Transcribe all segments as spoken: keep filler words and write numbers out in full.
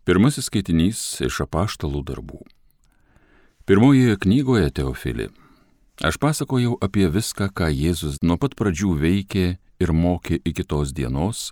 Pirmasis skaitinys iš Apaštalų darbų. Pirmojoje knygoje, Teofili, aš pasakojau apie viską, ką Jėzus nuo pat pradžių veikė ir mokė iki tos dienos,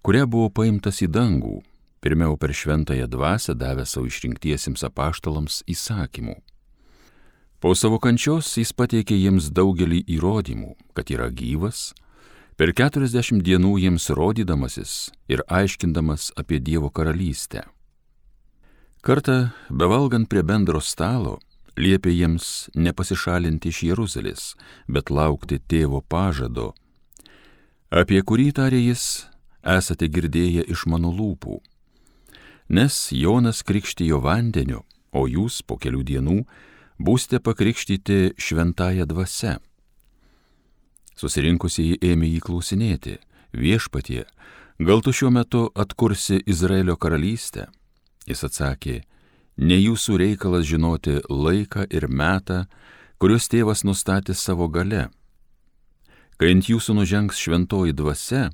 kuria buvo paimtas į dangų, pirmiau per šventąją dvasią davė savo išrinktiesiems apaštalams įsakymų. Po savo kančios jis pateikė jiems daugelį įrodymų, kad yra gyvas, per keturiasdešimt dienų jiems rodydamasis ir aiškindamas apie Dievo karalystę. Kartą, bevalgant prie bendro stalo, liepė jiems nepasišalinti iš Jeruzalės, bet laukti tėvo pažado, apie kurį tarė jis, esate girdėję iš mano lūpų. Nes Jonas krikštijo vandeniu, o jūs po kelių dienų būsite pakrikštyti šventąja dvasia. Susirinkusieji ėmė jį klausinėti, viešpatie, gal tu šiuo metu atkursi Izraelio karalystę? Jis atsakė, ne jūsų reikalas žinoti laiką ir metą, kuriuos tėvas nustatė savo gale. Kai ant jūsų nužengs šventoji dvasia,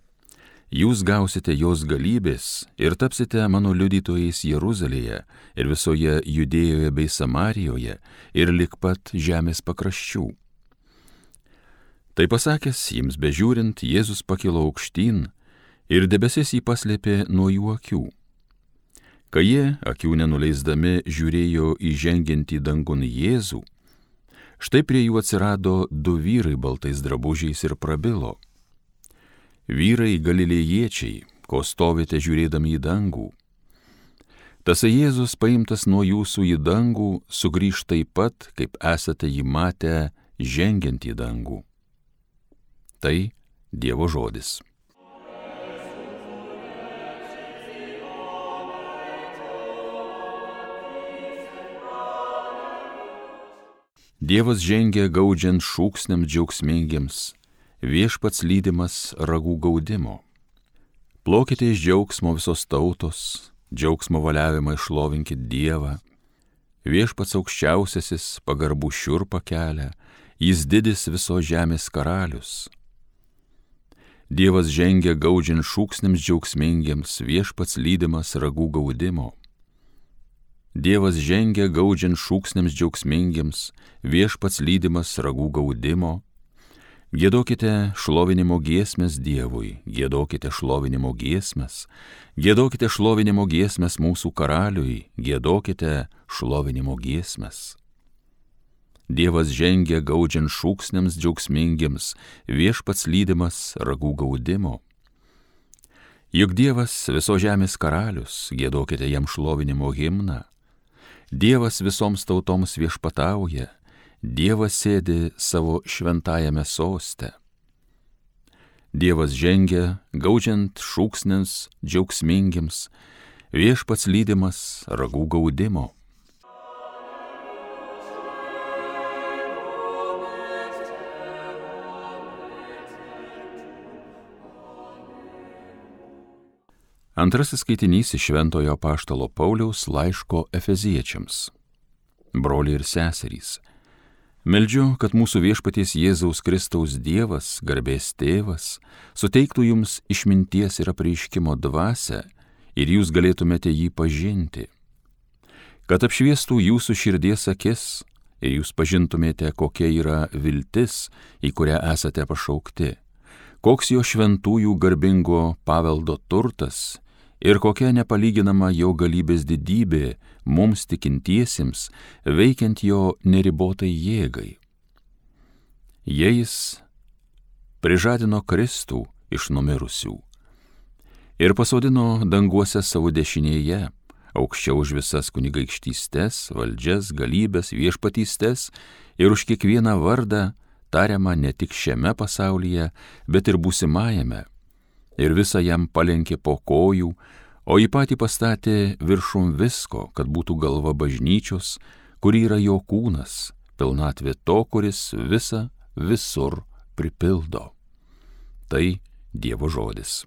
jūs gausite jos galybės ir tapsite mano liudytojais Jeruzalėje ir visoje Judėjoje bei Samarijoje ir lig pat žemės pakraščių. Tai pasakęs, jiems bežiūrint, Jėzus pakilo aukštyn ir debesis jį paslėpė nuo jų akių. Kai jie, akių nenuleisdami, žiūrėjo įžengiantį dangun Jėzų, štai prie jų atsirado du vyrai baltais drabužiais ir prabilo. Vyrai galilėjiečiai, ko stovite žiūrėdami į dangų. Tasai Jėzus paimtas nuo jūsų į dangų sugrįž taip pat, kaip esate jį matę žengiant į dangų. Tai Dievo žodis. Dievas žengia gaudžiant šūksniams džiaugsmingiems, viešpats lydimas ragų gaudimo. Plokite iš džiaugsmo visos tautos, džiaugsmo valiavimą išlovinkit Dievą. Viešpats aukščiausiasis pagarbų šiurpą kelia, jis didis visos žemės karalius. Dievas žengia gaudžiant šūksniams džiaugsmingiems, viešpats lydimas ragų gaudimo. Dievas žengia gaudžiant šūksniams džiaugsmingiems, viešpats lydimas ragų gaudimo. Giedokite šlovinimo giesmes Dievui, giedokite šlovinimo giesmes, giedokite šlovinimo giesmes mūsų karaliui, giedokite šlovinimo giesmes. Dievas žengia gaudžiant šūksniams džiaugsmingiems, viešpats lydimas ragų gaudimo. Juk Dievas viso žemės karalius, giedokite jam šlovinimo himną. Dievas visoms tautoms viešpatauja, Dievas sėdi savo šventajame soste. Dievas žengia, gaudžiant šūksniams džiaugsmingiems, viešpats lydimas ragų gaudimo. Antrasis skaitinys iš Šventojo apaštalo Pauliaus laiško Efeziečiams. Broliai ir seserys, meldžiu, kad mūsų viešpaties Jėzaus Kristaus Dievas, garbės tėvas, suteiktų jums išminties ir apreiškimo dvasią ir jūs galėtumėte jį pažinti, kad apšviestų jūsų širdies akis ir jūs pažintumėte, kokia yra viltis, į kurią esate pašaukti, koks jo šventųjų garbingo paveldo turtas ir kokia nepalyginama jo galybės didybė mums tikintiesiems, veikiant jo neribotai jėgai. Jis prižadino Kristų iš numirusių ir pasodino danguose savo dešinėje, aukščiau už visas kunigaikštystes, valdžias, galybės, viešpatystes ir už kiekvieną vardą tariamą ne tik šiame pasaulyje, bet ir būsimajame. Ir visą jam palenkė po kojų, o į patį pastatė viršum visko, kad būtų galva bažnyčios, kuri yra jo kūnas, pilnatvė to, kuris visą visur pripildo. Tai Dievo žodis.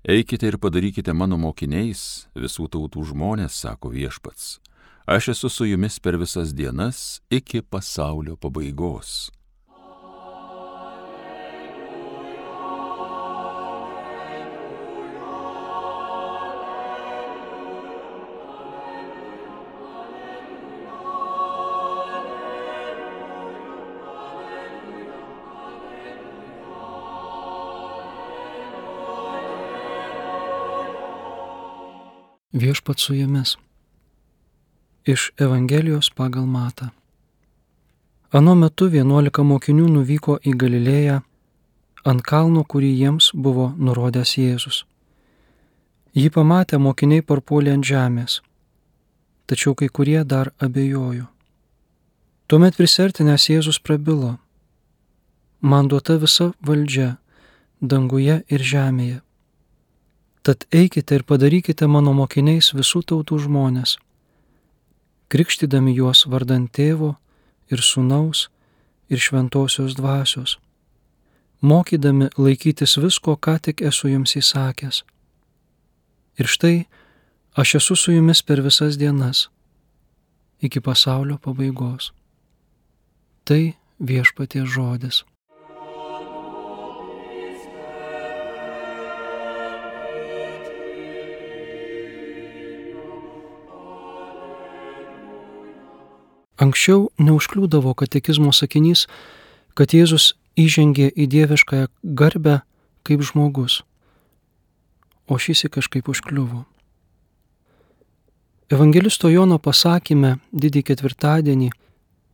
Eikite ir padarykite mano mokiniais visų tautų žmonės, sako viešpats. Aš esu su jumis per visas dienas iki pasaulio pabaigos. Viešpats su jumis. Iš Evangelijos pagal Matą. Ano metu vienuolika mokinių nuvyko į Galilėją ant kalno, kurį jiems buvo nurodęs Jėzus. Jį pamatę mokiniai parpuolė ant žemės, tačiau kai kurie dar abejojo. Tuomet prisiartinęs Jėzus prabilo: man duota visa valdžia danguje ir žemėje. Tad eikite ir padarykite mano mokiniais visų tautų žmonės, krikštydami juos vardant Tėvo ir Sūnaus ir Šventosios Dvasios, mokydami laikytis visko, ką tik esu jums įsakęs. Ir štai aš esu su jumis per visas dienas, iki pasaulio pabaigos. Tai Viešpaties žodis. Anksčiau neužkliūdavo katekizmo sakinys, kad Jėzus įžengė į dieviškąją garbę kaip žmogus, o šįsyk kažkaip užkliuvo. Evangelisto Jono pasakyme didį ketvirtadienį,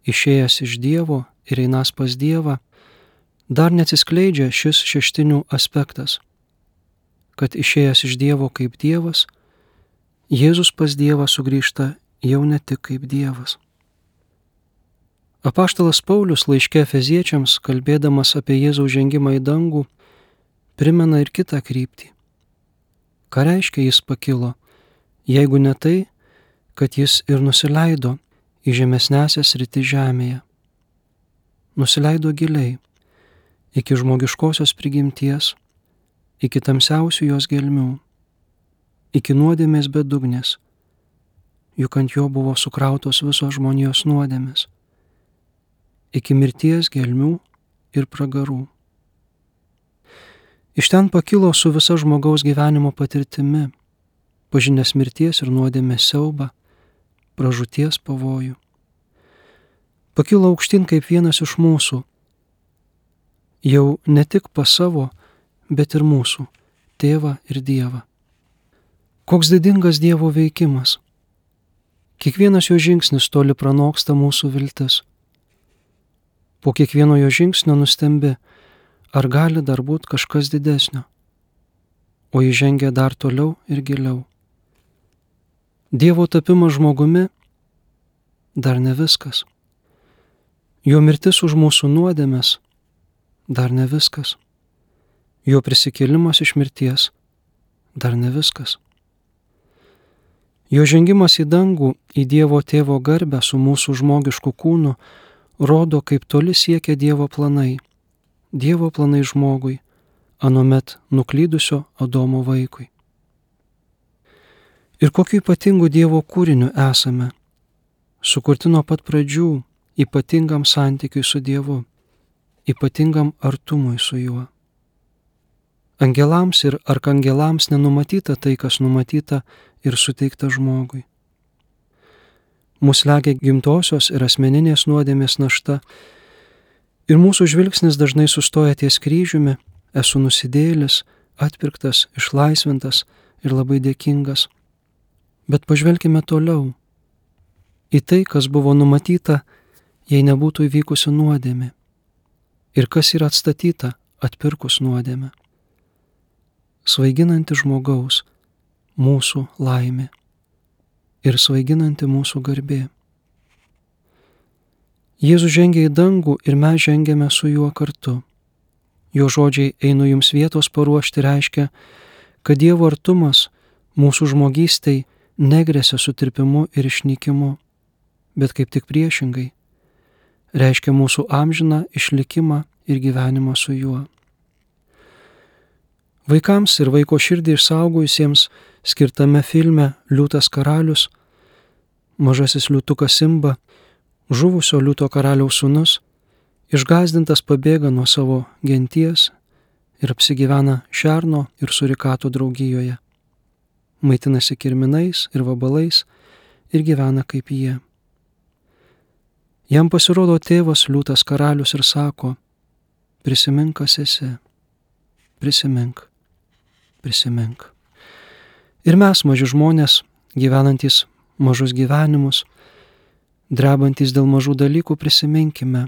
išėjęs iš Dievo ir einąs pas Dievą, dar neatsiskleidžia šis šeštinių aspektas, kad išėjęs iš Dievo kaip Dievas, Jėzus pas Dievą sugrįžta jau ne tik kaip Dievas. Apaštalas Paulius laiške Efeziečiams, kalbėdamas apie Jėzaus žengimą į dangų, primena ir kitą kryptį. Ką reiškia jis pakilo, jeigu ne tai, kad jis ir nusileido į žemesnesias sritis žemėje. Nusileido giliai, iki žmogiškosios prigimties, iki tamsiausių jos gelmių, iki nuodėmės bedugnės, juk ant jo buvo sukrautos visos žmonijos nuodėmės, iki mirties gelmių ir pragarų. Iš ten pakilo su visa žmogaus gyvenimo patirtimi, pažinęs mirties ir nuodėmės siaubą, pražūties pavojų. Pakilo aukštyn kaip vienas iš mūsų, jau ne tik pas savo, bet ir mūsų, Tėvą ir Dievą. Koks didingas Dievo veikimas. Kiekvienas jo žingsnis toli pranoksta mūsų viltis. Po kiekvieno jo žingsnio nustembi, ar gali dar būti kažkas didesnio, o jis žengia dar toliau ir giliau. Dievo tapimas žmogumi dar ne viskas. Jo mirtis už mūsų nuodėmes dar ne viskas. Jo prisikėlimas iš mirties dar ne viskas. Jo žengimas į dangų, į Dievo Tėvo garbę su mūsų žmogišku kūnu rodo, kaip toli siekia Dievo planai, Dievo planai žmogui, anuomet nuklydusio Adomo vaikui. Ir kokiu ypatingu Dievo kūriniu esame, sukurti nuo pat pradžių ypatingam santykiui su Dievu, ypatingam artumui su juo. Angelams ir arkangelams nenumatyta tai, kas numatyta ir suteikta žmogui. Mus legia gimtosios ir asmeninės nuodėmės našta, ir mūsų žvilgsnis dažnai sustoja ties kryžiumi, esu nusidėjėlis, atpirktas, išlaisvintas ir labai dėkingas. Bet pažvelkime toliau į tai, kas buvo numatyta, jei nebūtų įvykusi nuodėmė, ir kas yra atstatyta atpirkus nuodėmę. Svaiginanti žmogaus, mūsų laimė ir svaiginanti mūsų garbė. Jėzus žengia į dangų ir mes žengiame su juo kartu. Jo žodžiai einu jums vietos paruošti reiškia, kad Dievo artumas mūsų žmogystei negresia sutirpimu ir išnykimu, bet kaip tik priešingai, reiškia mūsų amžiną išlikimą ir gyvenimą su juo. Vaikams ir vaiko širdį išsaugojusiems skirtame filme Liūtas karalius, mažasis liūtukas Simba, žuvusio liūto karaliaus sūnus, išgąsdintas pabėga nuo savo genties ir apsigyvena šerno ir surikatų draugijoje. Maitinasi kirminais ir vabalais ir gyvena kaip jie. Jam pasirodo tėvas liūtas karalius ir sako: prisimink, kas esi, prisimink, prisimink. Ir mes, maži žmonės, gyvenantys mažus gyvenimus, drebantys dėl mažų dalykų, prisiminkime,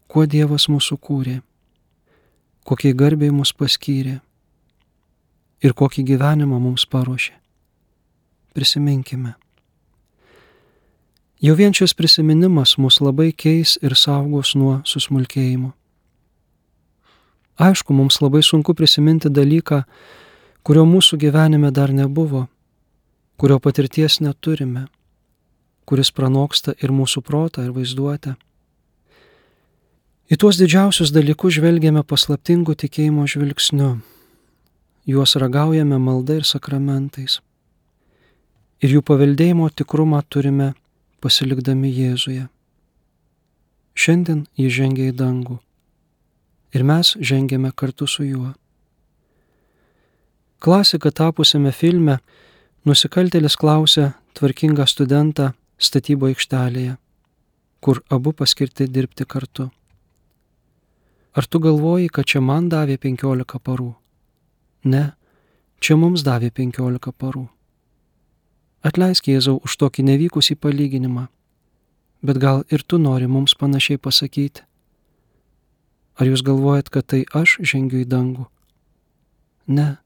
kuo Dievas mūsų kūrė, kokiai garbiai mus paskyrė ir kokį gyvenimą mums paruošė. Prisiminkime. Jau vien šis prisiminimas mus labai keis ir saugos nuo susmulkėjimo. Aišku, mums labai sunku prisiminti dalyką, kurio mūsų gyvenime dar nebuvo, kurio patirties neturime, kuris pranoksta ir mūsų protą, ir vaizduotę. Į tuos didžiausius dalykus žvelgiame paslaptingų tikėjimo žvilgsniu, juos ragaujame malda ir sakramentais. Ir jų paveldėjimo tikrumą turime pasilikdami Jėzuje. Šiandien jis žengia į dangų ir mes žengiame kartu su juo. Klasika tapusiame filme nusikaltėlis klausia tvarkingą studentą statybo aikštelėje, kur abu paskirti dirbti kartu: ar tu galvoji, kad čia man davė penkiolika parų? Ne, čia mums davė penkiolika parų. Atleisk, Jėzau, už tokį nevykusį palyginimą, bet gal ir tu nori mums panašiai pasakyti? Ar jūs galvojat, kad tai aš žengiu į dangų? Ne,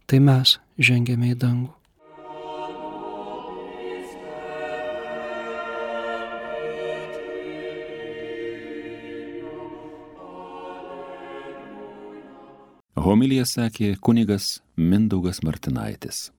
tai mes žengėme į dangų. Homiliją sakė kunigas Mindaugas Martinaitis.